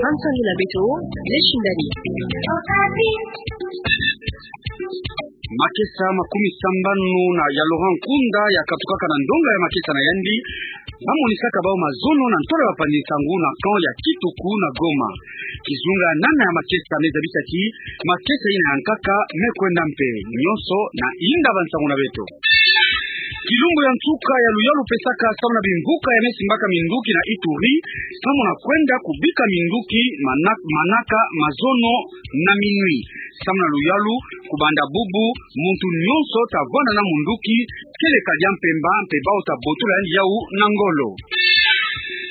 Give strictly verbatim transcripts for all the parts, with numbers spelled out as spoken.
Mansoni na beto, Leshindani. Makesa makumi sambanu na ya Laurent Nkunda yakatukaka na ndonga ya makesa na yandi, bamonisaka bau mazono na ntwala ya bapanzi-nsangu na camp ya Kituku na Goma. Kizunga nana ya makesa me zabisa ti makesa ina ya nkaka me kwenda mpe. Nyonso na inda bansangu na beto. Kilumbu ya nsuka ya luyalu pesaka samu na bimvuka ya me simbaka minduki na Ituri, samu na kwenda kubika minduki mana-, manaka mazono na minuit. Samu na luyalu, kubanda bubu, muntu nyonso ta vwanda na munduki, kele kadia mpemba, mpe bau ta botola yandi yau na ngolo.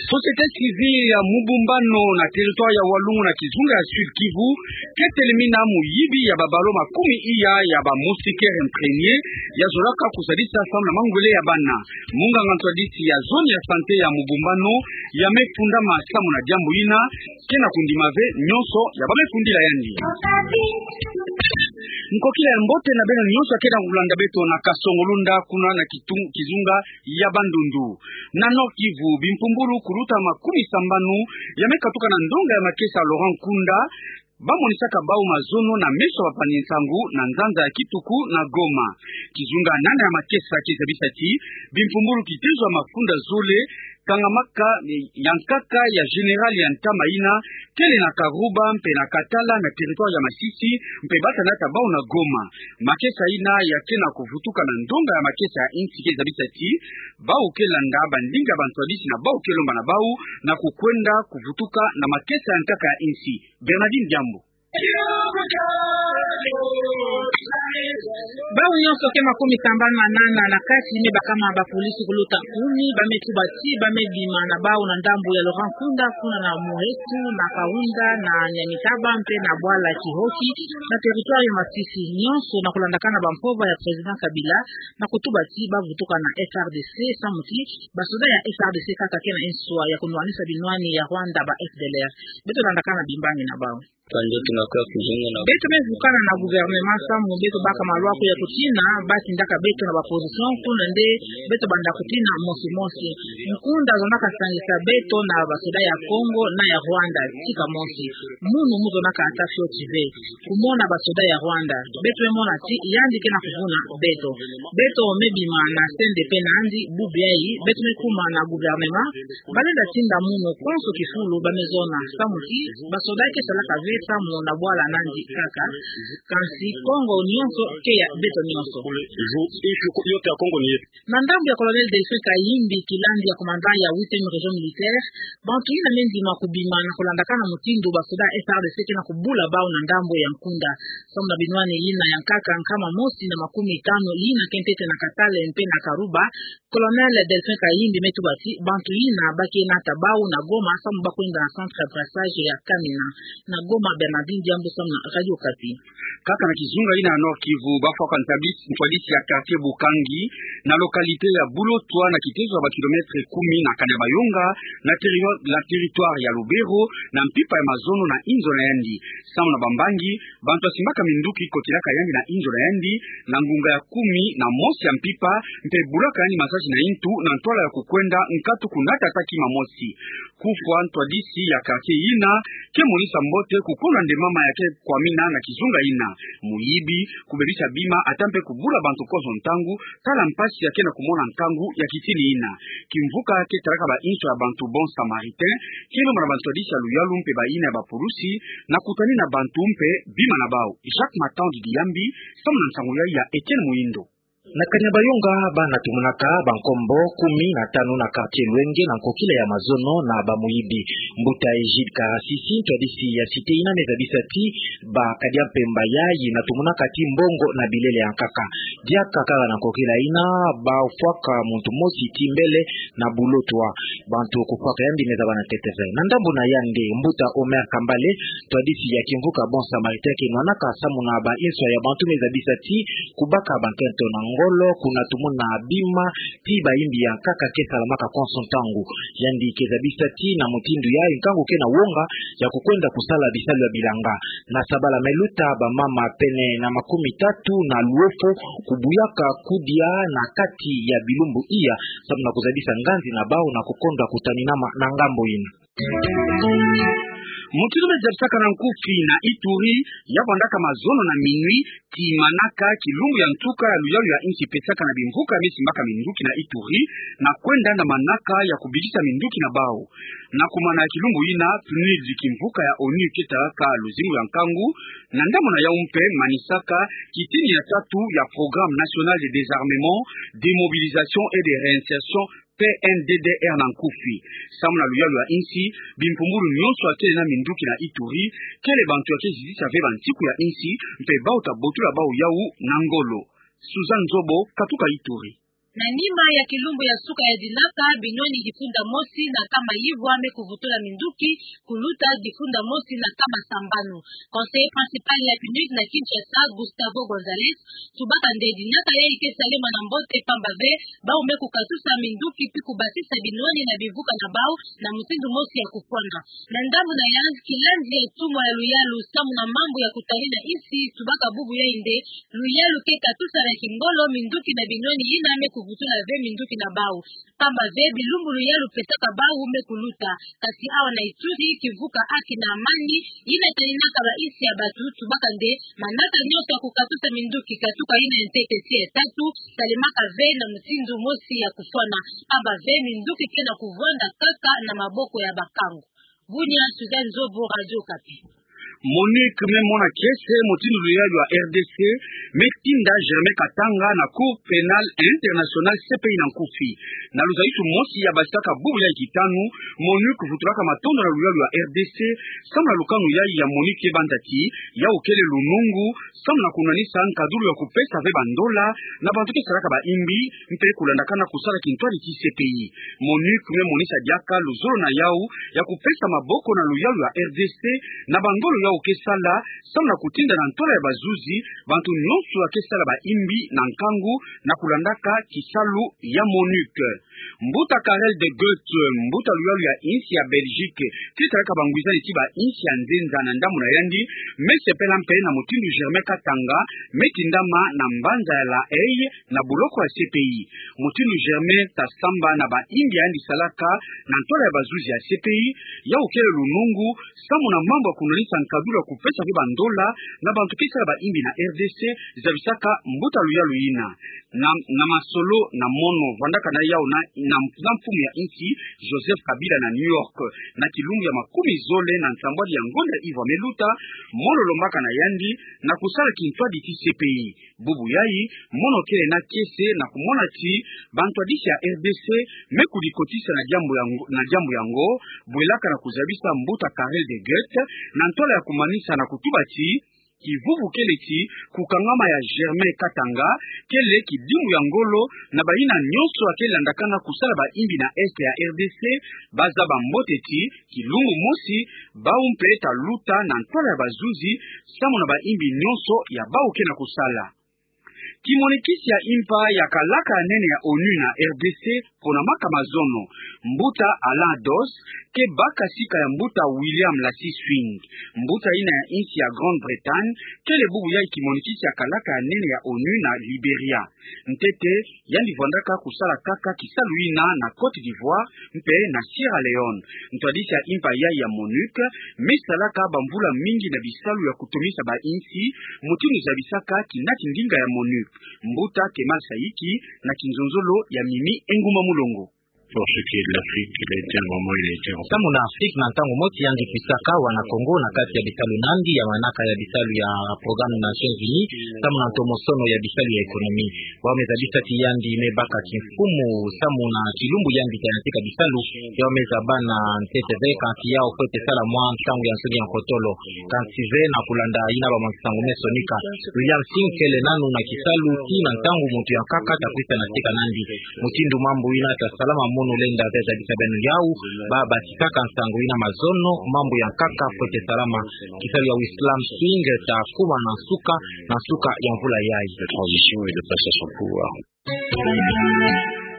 Société civile ya Mubumbano na territoire ya Walungu na kizunga ya Sud-Kivu, ke telemina muyibi ya babalo makumi iya ya ba moustiquaire imprégnée, ya zolaka kusadisa samu na mangwele ya bana. Munganga ntwadisi ya zone ya santé ya Mubumbano, ya me fundama samu na diambu ina, ke na kundima ve nyonso ya ba me fundila yandi. Nkokila ya mbote na beno nyonso ya ke na kulanda beto na Kasongo-Lunda kuna na kitung-, kizunga ya Bandundu. Na Nord-Kivu, bimpumbulu kuluta makumi sambanu ya me katuka na ndonga ya makesa Laurent Nkunda, bamonisaka bau mazono na meso ya bapanzi-nsangu na nzanza ya Kituku na Goma. Kizunga nana ya makesa ke zabisa ti bimpumbulu kitezo ya mafunda zole, kangamaka ya nkaka ya général ya ntama ina, kele na Karuba mpe na Katala na territoire ya Masisi, mpe bata nata bau na Goma. Makesa ina ya ke na kuvutuka na ndonga ya makesa ya insi ke zabisa ti bau ke landa bandinga ya bantwadisi na bau ke lomba na bau na kukwenda kuvutuka na makesa ya nkaka ya insi. Bernardine Diambu. Bau nyonso ke makumi sambanu na nana na kati me bakama ba polisi kuluta kumi, ba me tuba ti ba me bima na bau na ndambu ya Laurent Nkunda, kuna na Muheto, na Kaunda, na Nyamitaba, mpe na bwala Kihoki, na territoire ya Masisi. Nyonso na kulandakana bampova ya président Kabila, na kutuba ti ba vutuka na F R D C, samu ti basoda ya F R D C kaka ke na nswa ya kunwanisa binwani ya Rwanda, ba F D L R. Beto landakana bimbangi na bau. Beto me vukana na gouvernement samu beto baka malwaku ya kutina, ba tindaka beto na ba position, kuna nde beto banda kutina mosi mosi. Nkunda zonaka sangisa beto na basoda ya Congo na ya Rwanda, tika mosi. Munu mu zonaka ata fioti ve kumona basoda ya Rwanda. Beto me mona ti yandi ke na kuvuna beto. Beto me bima na C N D P na yandi, bubu yayi beto me kuma na gouvernement, ba lenda tinda munu konso kifulu ba me zona, samu ti basoda ke salaka ve samu na bwala na yandi kaka, kansi Kongo nyonso ke ya beto nyonso. Na ndambu ya Colonel Delphin Kayimbi, kilandi ya commandant ya huitième région militaire, bantu yina me ndima kubima na kulandakana mutindu basoda F R D C ke na kubula bau na ndambu ya Nkunda. Samu na binwani yina ya nkaka nkama mosi na makumi tanu yina ke ntete na Katale mpe na Karuba, Colonel Delphin Kayimbi me tuba ti bantu yina ba ke nata bau na Goma samu ba kwenda na centre ya brassage ya Kamina. Na Goma, Bernardine Diambu samu na Radio Okapi. Kaka na kizunga yina ya Nord-Kivu, bafwaka ntwadisi, ntwadisi ya quartier Bukangi, na localité ya Bulotwa, na kitezo ya ba kilomètre kumi na Kanyabayonga, na terri-, na territoire ya Lubero, na mpimpa ya mazono na inzo na yandi. Samu na bambangi, bantu ya simbaka minduki kotelaka yandi na inzo na yandi, na ngunga ya kumi na mosi ya mpimpa, mpe bulaka yandi masaji na intu, na ntwala ya kukwenda nkatu kunatataki mamosi. Kufwa ntwadisi ya quartier yina ke monisa mbote kukuna nde mama ya ke kwamina na kizunga yina. Muyibi, kubebisa bima, ata mpe kubula bantu konso ntangu, tala mpasi ya ke na kumona nkangu ya kitini yina. Kimvuka ke talaka ba inzo ya bantu Bon Samaritain, ke lomba na bantwadisi ya luyalu mpe bayina ya bapulusi, na kutanina bantu mpe bima na bau. Jacques Matandi Diyambi, samu na nsangu yayi ya Etienne Muhindo. Na Kanyabayonga, bana tumonaka bankombo kumi na tanu na quartier Lwenge na nkokila ya mazono na bamuyibi. Mbuta Egide Karasisi, ntwadisi ya cité yina, me zabisa ti ba kadia mpemba yayi na tumonaka ti mbongo na bilele ya nkaka. Diaka kaka na nkokila yina, bafwaka muntu mosi ti mbele na Bulotwa. Bantu kufwaka yandi me zaba na ntete ve. Na ndambu na yandi, mbuta Omer Kambale, ntwadisi ya kimvuka Bon Samaritain, ke nwanaka samu na ba inzo ya bantu, me zabisa ti kubaka bankento na ngolo kuna tumona bima ti bayimbi ya nkaka ke salamaka konso ntangu. Yandi ke zabisa ti na mutindu yayi nkangu ke na wonga ya kukwenda kusala bisalu ya bilanga. Na sabala me luta, bamama pene na makumi tatu na luefo kubuyaka kudia na kati ya bilumbu iya, samu na kuzabisa nganzi na bau na kukondwa kutaninama na ngambo ina. Mutindu me zabisaka na nkufi na Ituri, ya vandaka mazono na minuit, ti manaka kilumbu ya nsuka ya luyalu ya insi pesaka na bimvuka me simbaka minduki na Ituri, na kwenda na manaka ya kubikisa minduki na bau. Na kumana ya kilumbu ina, PNUD, kimvuka ya ONU ke talaka luzingu ya nkangu, na ndambu na yau mpe manisaka kitini ya tatu ya Programme National de Désarmement, Démobilisation et de Réinsertion, P N D D R na nkufi. Samu na luyalu ya insi, bimpumbulu nyonso ya kele na minduki na Ituri, kele bantu ya ke zizisa ve bansiku ya insi, mpe bau ta botula bau yau na ngolo. Suzanne Nzobo, katuka Ituri. Na nima ya kilumbu ya suka ya dinaka, binwani difunda mosi na nkama yivwa me kuvutula minduki, kuluta difunda mosi na nkama sambanu. Conseiller principal ya PNUD na Kinshasa, Gustavo Gonzalez, tubaka nde dinaka yayi ke salema na mbote, pamba ve bau me kukatusa minduki pi kubasisa binwani na bimvuka na bau na mutindu mosi ya kufwana. Na ndambu na yandi, kilandi ya tumwa ya luyalu samu na mambu ya kutarina insi tubaka bubu yayi nde luyalu ke katusa na kingolo minduki na binwani yina me kuvutula ve minduki na bau. Pamba ve bilumbu luyalu pesaka bau me kuluta. Kasi awa na Ituri, kimvuka Haki na Amani, yina taninaka ba insi ya batu, tubaka nde manaka nyonso ya kukatusa minduki, katuka yina ya ntete ti ya tatu, salemaka ve na mutindu mosi ya kufwana. Pamba ve minduki ke na kuvwanda kaka na maboko ya bakangu. Bunia, Suzanne Nzobo, Radio Okapi. MONUC me mona kiese mutindu luyalu ya R D C me tinda Germain Katanga na Cour Pénale Internationale, C P I, na nkufi. Na luzayisu mosi ya basaka bubu yayi kitanu, MONUC vutulaka matondo na luyalu ya R D C samu na lukanu yayi ya MONUC ke banda ti yau kele lunungu samu na kunwanisa nkadulu ya kupesa ve bandola na bantu ke salaka bayimbi, mpe kulandakana kusala kintwadi ti C P I. MONUC me monisa diaka luzolo na yau ya kupesa maboko na luyalu ya R D C na bangolo yau ke sala, samu na kutinda na ntwala ya bazuzi bantu nyonso ya ke sala bayimbi na nkangu na kulandaka kisalu ya MONUC. Mbuta Karel de Gucht, mbuta luyalu ya insi ya Belgique, ke talaka bangwizani ti ba insi ya nzenza na ndambu na yandi, me sepela mpe na mutindu Germain Katanga me tindama na mbanza ya La Haye na buloko ya C P I. Mutindu Germain ta samba na bayimbi ya yandi salaka na ntwala ya bazuzi ya C P I, yau kele lunungu samu na mambu ya kunwanisa nkadulu ya kupesa ve bandola na bantu ke sala bayimbi na R D C, zabisaka mbuta luyalu yina. Na, na masolo na mono vandaka na yau na, na, na mfumu ya insi Joseph Kabila na New York, na kilumbu ya makumi zole na nsambwadi ya ngonda ya ivwa me luta, mono lombaka na yandi na kusala kintwadi ti C P I. Bubu yayi, mono kele na kiese na kumona ti bantwadisi ya R D C me kudikotisa na diambu ya ngo-, na diambu yango, bwelaka na kuzabisa mbuta Karel de Gucht na ntwala ya kumanisa na kutuba ti kivuvu kele ti kukangama ya Germain Katanga, kele kidimu ya ngolo na bayina nyonso ya ke landakana kusala bayimbi na Est ya R D C, bazaba mbote ti kilumbu mosi, bau mpe ta luta na ntwala ya bazuzi, samu na bayimbi nyonso ya bau ke na kusala. Kimonikisi ya impa ya kalaka ya nene ya ONU na R D C, ponamaka mazono. Mbuta Alan Doss ke baka sika ya mbuta William Lassy Swing. Mbuta yina ya insi ya Grande-Bretagne, kele bubu yayi kimonikisi ya kalaka ya nene ya ONU na Liberia. Ntete, yandi vwandaka kusala kaka kisalu yina na Côte d'Ivoire mpe na Sierra Leone. Ntwadisi ya impa yayi ya MONUC me salaka bamvula mingi na bisalu ya kutomisa ba insi, mutindu zabisaka kinati ndinga ya MONUC. Mbuta Kemal Saïki na kinzonzolo ya Mimi Engumba Mulongo. Pour ce qui est de l'Afrique, il a été un moment, il a été un... Samu na Afrique, na ntangu mosi yandi kwisaka awa na Congo na kati ya bisalu na yandi ya manaka ya bisalu ya Programme des Nations Unies, samu na ntomosono ya bisalu ya économie. Bau me zabisa ti yandi me baka kimfumu samu na kilumbu yandi ta yantika bisalu, yau me zaba na ntete ve kansi yau fwete sala mwa ntangu ya nsoni ya nkotolo. Kansi ve na kulanda yina ba mwa nsangu me sonika, William Lassy Swing kele nanu na kisalu tii na ntangu muntu ya nkaka ta kwisa na sika na yandi. Mutindu mambu yina ta salama mo Nolenda zeza bisa beno yau, ba batikaka nsango ina mazono, mambu ya nkaka fwete salama. Kisalu ya Islam Swing ta kuma na nsuka, na nsuka ya mvula yayi. La transition et le passage au pouvoir.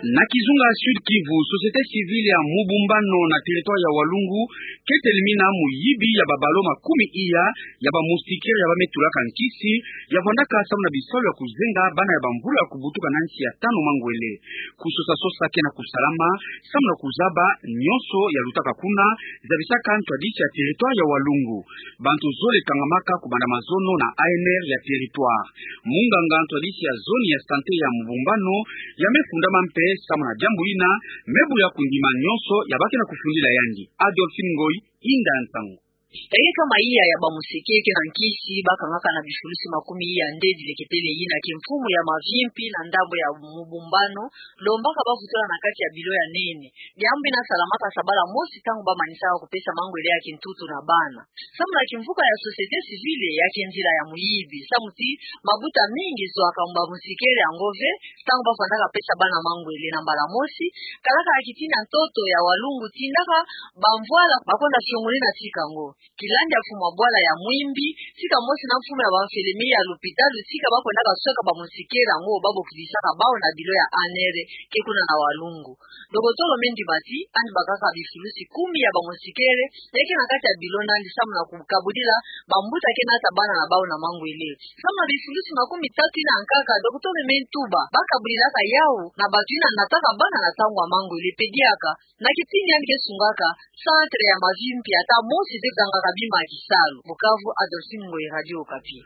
Na kizunga Sud-Kivu, société civile ya Mubumbano na territoire ya Walungu ke telemina muyibi ya babalo makumi iya ya ba moustiquaire ya ba me tulaka nkisi, ya vandaka samu na bisalu ya kuzenga bana ya bamvula ya kubutuka na nsi ya tanu mangwele. Kusosa-sosa ke na kusalama samu na kuzaba nyonso ya lutaka kuna, zabisaka ntwadisi ya territoire ya Walungu. Bantu zole kangamaka kubanda mazono na A N R ya territoire. Munganga ntwadisi ya zone ya santé ya Mubumbano, ya me fundama mpe samu na diambu ina, me buya kundima nyonso ya ba ke na kufundila yandi. Adolphine Ngoyi, inda ya nsangu. Eke kama iya ya ba moustiquaire ke na nkisi, ba kangaka na bifulusi makumi iya nde dileketele ina, ke mfumu ya mavimpi na ndambu ya Mubumbano, lombaka ba vutula na kati ya bilo ya nene. Diambu ina salamaka sabala mosi ntangu ba manisaka kupesa mangwele ya kintutu na bana. Samu na kimvuka ya société civile, ya ke nzila ya muyibi. Samu ti mabuta mingi zwaka mba moustiquaire yango ve, ntangu ba vandaka pesa bana mangwele na mbala mosi, kalaka ya kitini ya ntoto ya Walungu tindaka bamvwala ba kwenda fiongonina tika ngo. Kilandi ya mfumu wa bwala ya Mwimbi, tika mosi na mfumu ya ba infirmier ya lupitalu, tika ba kwendaka sweka ba moustiquaire yango ba bokidisaka bawu na bilo ya A N R ke kuna na Walungu. Dokotolo Mendi Mati, yandi bakaka bifulusi kumi ya ba moustiquaire, ya ke na kati ya bilo na yandi samu na kukabudila bambuta ke nata bana na bawu na mangwele. Samu na bifulusi makumi tatu ina nkaka, dokotolo me ntuba, ba kabudilaka yawu na bantu ina nataka bana na ntangu ya mangwele, pe diaka, na kitini yandi ke sungaka, centre ya mavimpi ata mosi te kangaka bima ya kisalu. Bukavu, Adolphine Ngoyi, Radio Okapi.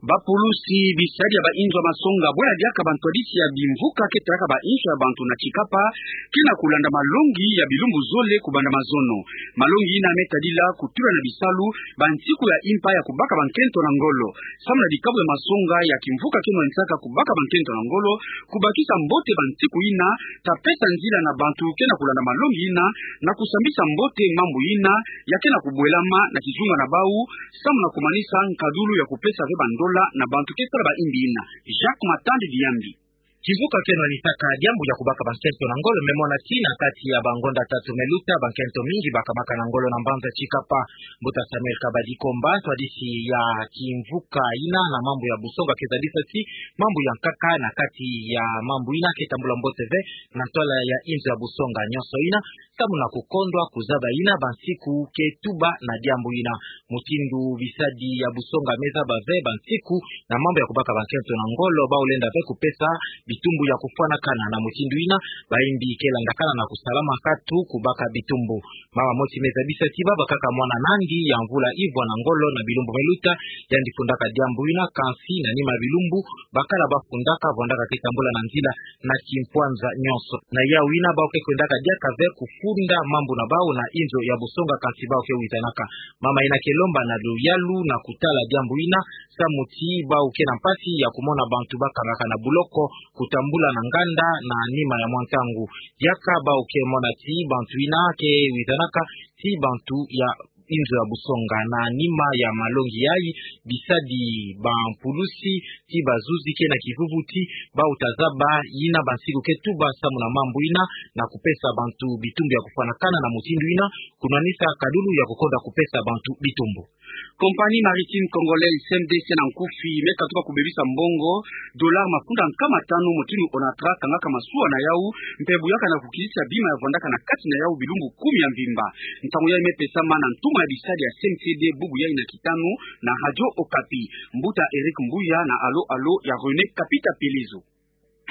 Bapulusi bisadi ya ba inzo ya masonga, bwela diaka bantwadisi ya bimvuka ke talaka ba inzo ya bantu na Tshikapa, ke na kulanda malongi ya bilumbu zole kubanda mazono. Malongi ina me tadila kutula na bisalu bansiku ya impa ya kubaka bankento na ngolo. Samu na dikabu ya masonga ya kimvuka ke nwanisaka kubaka bankento na ngolo, kubakisa mbote bansiku ina, ta pesa nzila na bantu ke na kulanda malongi ina, na kusambisa mbote mambu ina ya ke na kubwelama na kizunga na bawu, samu na kumanisa nkadulu ya kupesa ve bandola na bantu ke sala ba imbi ina. Jacques Matandi Diambi. Kimvuka ke nwanisaka diambu ya kubaka bankento na ngolo me mona ti na kati ya bangonda tatu me luta, bankento mingi bakamaka na ngolo na mbanza Tshikapa. Mbuta Samuel Kabadi Komba, ntwadisi ya kimvuka ina na mambu ya busonga, ke zabisa ti mambu ya nkaka na kati ya mambu ina ke tambula mbote ve na ntwala ya inzo ya busonga nyonso ina, samu na kukondwa kuzaba ina bansiku ke tuba na diambu ina. Mutindu bisadi ya busonga me zaba ve bansiku na mambu ya kubaka bankento na ngolo, bawu lenda ve kupesa bitumbu ya kufwanakana. Na mutindu ina, ba imbi ke landakana na kusalama katu kubaka bitumbu. Mama moti me zabisa ti baba kaka mwana na yandi ya mvula ivwa na ngolo na bilumbu me luta, yandi fundaka diambu ina, kansi na nima ya bilumbu, bakala ba fundaka, vandaka ke tambula na nzila na kimpwanza nyonso. Na yawu ina, bawu ke kwendaka diaka ve kufunda mambu na bawu na inzo ya busonga, kansi bawu ke wizanaka. Mama ina ke lomba na luyalu na kutala diambu ina, samu ti bawu ke na mpasi ya kumona bantu bakangaka na buloko kutambula na nganda na nima ya mwa ntangu. Diaka bawu ke mona ti bantu ina ke wizanaka ti bantu ya inzo ya busonga. Na nima ya malongi yayi, bisadi, bampulusi, ti bazuzi ke na kivuvuti, bawu ta zaba ina bansiku ke tuba samu na mambu ina, na kupesa bantu bitumbu ya kufwanakana. Na mutindu ina, kunwanisa kadulu ya kukonda kupesa bantu bitumbu. Compagnie Maritime Congolaise, C M D C, na nkufi, me katuka kubebisa mbongo dollar mafunda nkama tanu, mutindu ONATRACH kangaka masuwa na yawu, mpe buyaka na kukilisa bima ya vandaka na kati na yawu bilumbu kumi ya mvimba. Ntangu yayi me pesama na ntuma ya bisadi ya C N C D, bubu yayi na kitanu, na Radio Okapi. Mbuta Eric Mbuya na Allo Allo ya René Kapita Pelezo.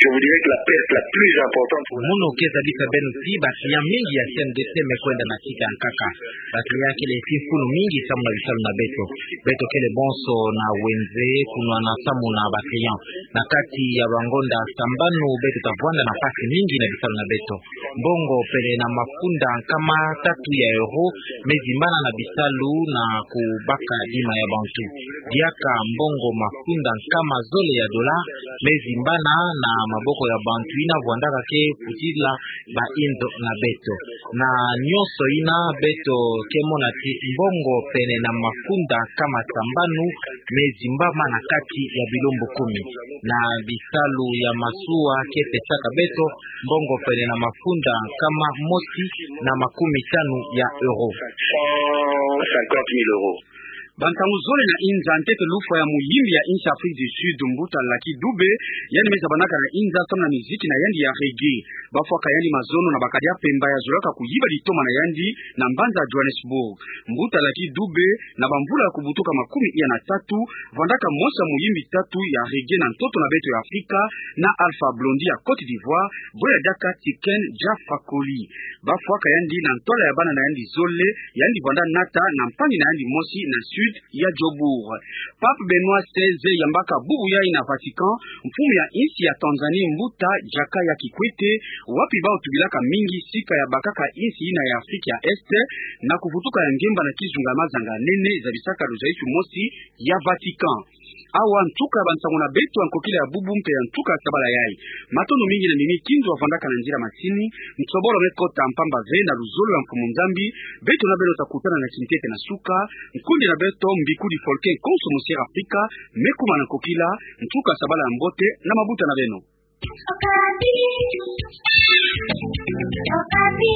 Je vous dirais que la perte la plus importante pour la... Mono ke zabisa beno ti ba client mingi ya C N D C me kwenda na tika ya nkaka. Ba client kele ti mfunu mingi samu na bisalu na beto. Beto kele bonso na wenze kunwana samu na ba client. Na kati ya bangonda sambanu, beto ta vwanda na mpasi mingi na bisalu na beto. Mbongo pele na mafunda nkama tatu ya euro me zimbana na bisalu na kubaka bima ya bantu. Diaka mbongo mafunda nkama zole ya dollar me zimbana na maboko ya bantu yina vwandaka ke putila bayindo na beto. Na nyonso yina beto ke mona ti mbongo pene na mafunda nkama sambanu me zimbama na kati ya bilumbu kumi. Na bisalu ya masuwa ke pesaka beto mbongo pene na mafunda nkama mosi na makumi tanu ya euro. Cent cinquante mille euros. Bantangu zole na inza, ntete lufwa ya moyimbi ya insi Afrique du Sud, Mbuta Lucky Dube, yandi me zabanaka na inza samu na miziki na yandi ya reggae. Bafwaka yandi mazono na bakadi ya mpemba ya zolaka kuyiba litoma na yandi na mbanza Johannesburg. Mbuta Lucky Dube, na bamvula ya kubutuka makumi iya na tatu, vwandaka mosi ya moyimbi tatu ya reggae na ntoto na beto ya Afrika, na Alpha Blondy ya Côte d'Ivoire, bwe ya diaka Tiken Jah Fakoly. Bafwaka yandi na ntwala ya bana na yandi zole, yandi vwanda nata na mpangi na yandi mosi na sud ya Joburg. Pape Benoît seize yambaka bubu yayi na Vatican, mfumu ya insi ya Tanzanie Mbuta Jakaya Kikwete, wapi bawu tubilaka mingi sika ya bakaka insi yina ya Afrique ya Est na kuvutuka ya ngemba na kizunga ya mazanga nene zabisaka luzaisu mosi ya Vatican. Awa nsuka ya bansangu na beto ya nkokila ya bubu mpe ya nsuka ya sabala yayi. Matondo mingi na mimi Kindu wavwandaka na nzila masini, nsobolo me kota mpamba ve na luzolo ya Mfumu Nzambi, beto na beno takutana na kintete na suka. Nkundi na beto Mbikudi Folke, konso Musier Afrika, me kuma na nkokila, nsuka ya sabala ya mbote na mabuta na beno. Okapi. Okapi.